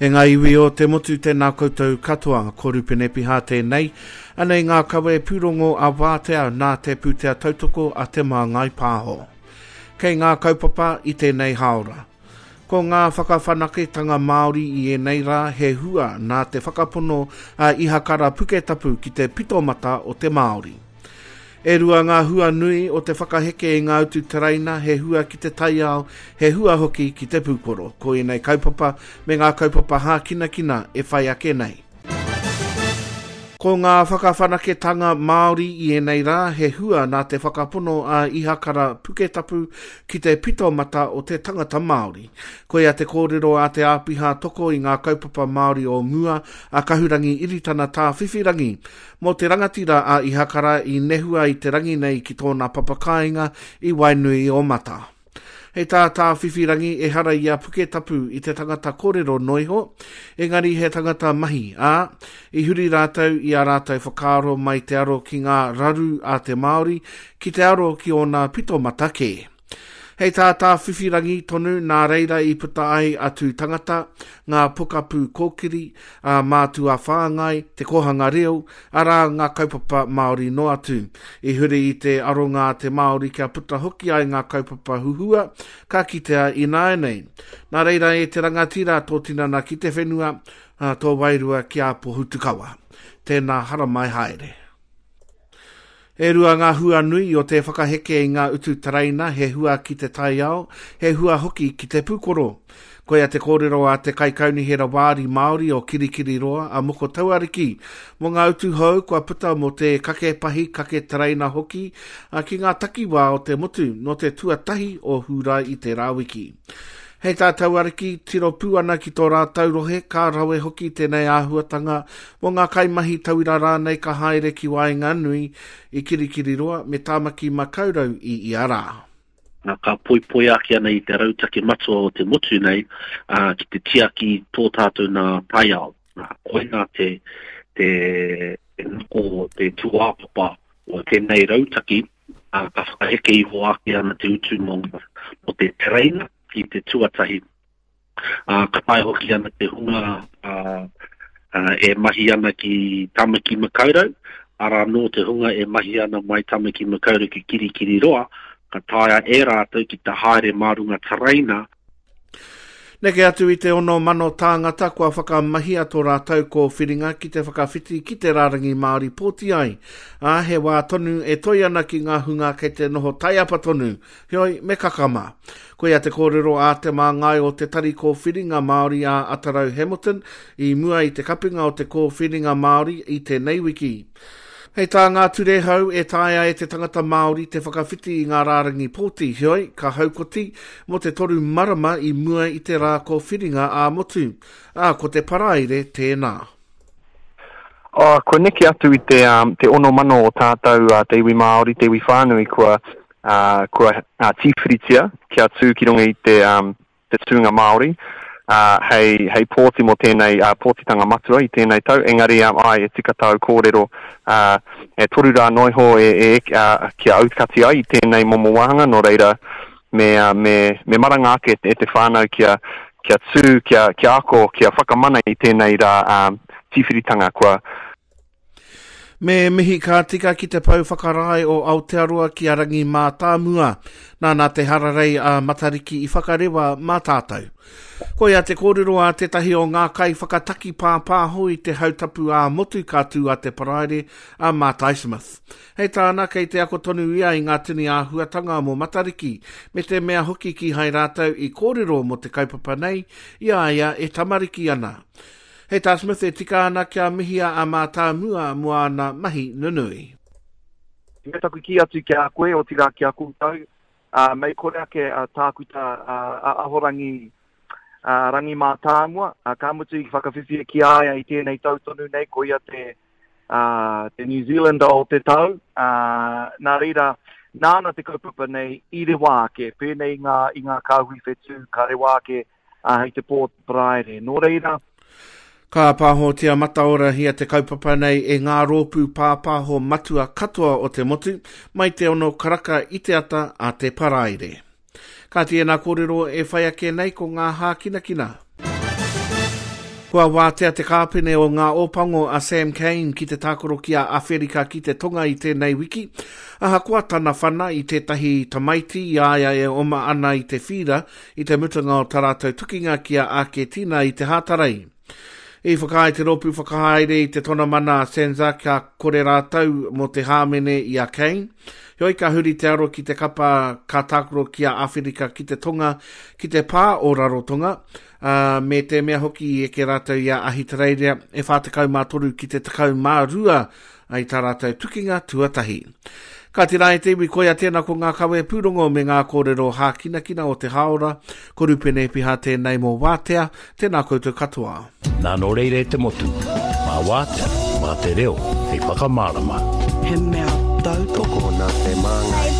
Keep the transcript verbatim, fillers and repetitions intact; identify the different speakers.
Speaker 1: E ngā iwi o te motu tēnā koutou katoa, ko Rupene Piha tēnei, anei ngā kawe pūrongo a Wātea nā te pūtea tautoko a Te Māngai Pāho. Kei ngā kaupapa i tēnei hāora. Ko ngā whakawhanaketanga Māori i ēnei rā he hua nā te whakapono a Ihakara Puketapu ki te pitomata o te Māori. E rua ngā hua nui o te whakaheke i ngā utu tereina, he hua ki te taiao, he hua hoki ki te pūkoro. Ko ēnei kaupapa me ngā kaupapa hākinakina e whai ake nei. Ko ngā whakawhanaketanga Māori i ēnei rā, he hua nā te whakapono a Ihakara Puketapu ki te pitomata o te tangata Māori. Koia te kōrero a te āpiha toko i ngā kaupapa Māori o mua a Kahurangi Iritana Tāwhiwhirangi. Mō te rangatira a Ihakara i nehua i te rangi nei ki tōna papakāinga i Wainui o Mata. Hei tā Tāwhiwhirangi ehara i a Puketapu i te tangata kōrero noiho, engari he tangata mahi, ā, i huri rātou i a rātou whakaaro mai te aro ki ngā raru a te Māori, ki te aro ki ōna pitomata kē. Hei tā Tāwhiwhirangi tonu nā reira i puta ai a Tū Tangata, ngā pokapū kōkiri, a Mātua Whāngai, te kōhanga reo, arā ngā kaupapa Māori noa atu. I huri i te aronga a te Māori kia puta hoki ai ngā kaupapa huhua, ka kitea ināianei. Nā reira e te rangatira tō tinana ki te whenua, tō wairua ki a Pohutukawa. Tēnā haramai haere. E rua ngā hua nui o te whakaheke i ngā utu tereina, he hua ki te taiao, he hua hoki ki te pūkoro. Koia te kōrero a te Kaikaunihera Wāri Māori o Kirikiriroa a Moko Tauariki mō ngā utu hou kua puta mō te kake pahi, kake tereina hoki ki ngā takiwā o te motu nō te tuatahi o Hūrae i tērā wiki. Hei tā Tauariki, tiro pū ana ki tō rātou rohe, ka rawe hoki tēnei āhuatanga mō ngā kaimahi tauira rānei ka haere ki waenganui i Kirikiriroa me Tāmaki Makaurau i ia rā.
Speaker 2: Nā, ka poipoi ake ana i te rautaki matua o te motu nei uh, ki te tiaki tō tātou nā taiao. Nā, koina te, te, te nako, te tūāpapa o tēnei rautaki, uh, ka whakaheke iho ake ana te utu mō, mō te tereina i te tuatahi. Uh, ka tae hoki ana te hunga uh, uh, e mahi ana ki Tāmaki Makaurau, arā nō te hunga e mahi ana mai Tāmaki Makaurau ki Kirikiriroa, ka taea e rātou ki te haere mā runga tereina.
Speaker 1: Neke atu i te ono mano tāngata kua whakamahia tō rātou kōwhiringa ki te whakawhiti ki te rārangi Māori pōti ai. Ā, he wā tonu e toi ana ki ngā hunga kei te noho taiapa tonu, heoi me kakama. Koia te kōrero a te māngai o te tari kōwhiringa Māori a Atarau Hamilton i mua i te kapinga o te kōwhiringa Māori i tēnei wiki. Hei tā ngā ture hou e taea e te tangata Māori te whakawhiti i ngā rārangi pōti, heoi, ka haukoti mō te toru marama i mua i te rā kōwhiringa ā-motu. Ā, ko te Paraire tēnā.
Speaker 3: Oh, kua neke atu i te, um, te ono mano o tātou uh, te iwi Māori, te iwi whānui kua, uh, kua uh, tīwhiritia kia tū ki runga i te, um, te tūnga Māori. Uh, hei, hei pōti mō tēnei uh, pōtitanga matua i tēnei tau, engari um, ai e tika tāu kōrero uh, e toru rā noiho e, e, uh, kia aukati ai i tēnei momo wāhanga, nō reira me, uh, me, me maranga ake e te whānau kia, kia tū, kia, kia ako, kia whakamana i tēnei rā um, tīwhiritanga kua.
Speaker 1: Me mihi ka tika ki te pau whakarae o Aotearoa ki a Rangi Mātāmua. Nāna te hararei a Matariki i whakarewa mā tātou. Koia te kōrero a tētahi o ngā kai whakataki pāpāho i te hautapu ā-motu ka tū a te Paraire a Mātai Smith. Hei tāna kei te ako tonu ia i ngā tini āhuatanga mō Matariki, me te mea hoki kīhai rātou i kōrero mō te kaupapa nei i a ia e tamariki ana. Hei tā Smith e tika ana kia mihia a Mātāmua mō āna mahi nunui.
Speaker 4: Me taku kī atu ki a koe, otirā ki a koutou, uh, mei kore ake uh, tākuta uh, a Ahorangi uh, Rangi Mātāmua, uh, ka mutu i whakawhiwhia ki a ia i tēnei tau tonu nei, ko ia te, uh, te New Zealander o te tau, uh, nā reira, nāna te kaupapa nei i rewa ake, pēnei i ngā, i ngā kāhui whetū, ka rewa ake uh, hei te pō te Paraire. Nō reira,
Speaker 1: Ka pāhotia mataorahia te kaupapa nei e ngā rōpū pāpāho matua katoa o te motu, mai te ono karaka i te ata a te Paraire. Ka tēnā kōrero e whai ake nei ko ngā hākinakina. Kua wātea te kāpene o ngā Ōpango a Sam Cane ki te tākaro ki a Awherika ki te Tonga i tēnei wiki. Ahakoa tana whana i tētahi tamaiti i a ia e oma ana i te whīra i te mutunga o tā rātou tukinga ki a Āketina i te Hātarei. I whakaae te rōpū whakahaere i te tonamana a Sanza kia kore rātou mō te hāmene i a Cane. Heoi ka huri te aro ki te kapa ka tākaro ki a Āwherika ki te Tonga ki te pā o Rarotonga, ā, me te mea hoki i eke rātou i a Ahitereiria e whā tekau mā toru ki te tekau mā rua i tā rātou tukinga tuatahi. Kāti rā e te iwi, koia tēnā ko ngā kawe pūrongo me ngā kōrero hākinakina o te hāora, ko Rupene Piha tēnei mō Wātea, tēnā koutou katoa.
Speaker 5: Nā nō reira e te motu, mā Wātea, mā te reo, hei whakamārama.
Speaker 6: He mea tautoko
Speaker 7: Tokona te māngai.